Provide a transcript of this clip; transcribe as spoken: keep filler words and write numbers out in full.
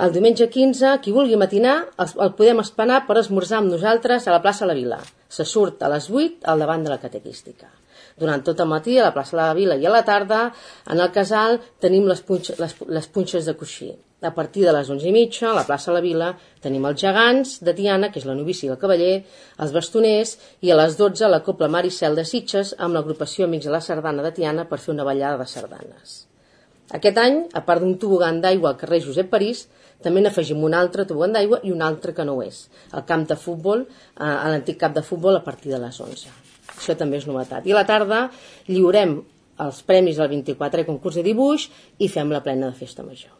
El diumenge quinze, qui vulgui matinar, el podem espanar per esmorzar amb nosaltres a la plaça La Vila. Se surt a les vuit al davant de la catequística. Durant tot el matí, a la plaça La Vila i a la tarda, en el casal, tenim les, punx les, les punxes de coixí. A partir de les onze i mitja, a la plaça La Vila, tenim els gegants de Tiana, que és la novícia i el cavaller, els bastoners, i a les dotze la Copla Maricel de Sitges amb l'agrupació Amics de la Sardana de Tiana per fer una ballada de sardanes. Aquest any, a part d'un tobogan d'aigua al carrer Josep París, també n'afegim un altre tobogan d'aigua i un altre que no ho és, el camp de futbol, a l'antic camp de futbol a partir de les onze. Això també és novetat. I a la tarda lliurem els premis del vint-i-quatre concurs de dibuix i fem la plena de festa major.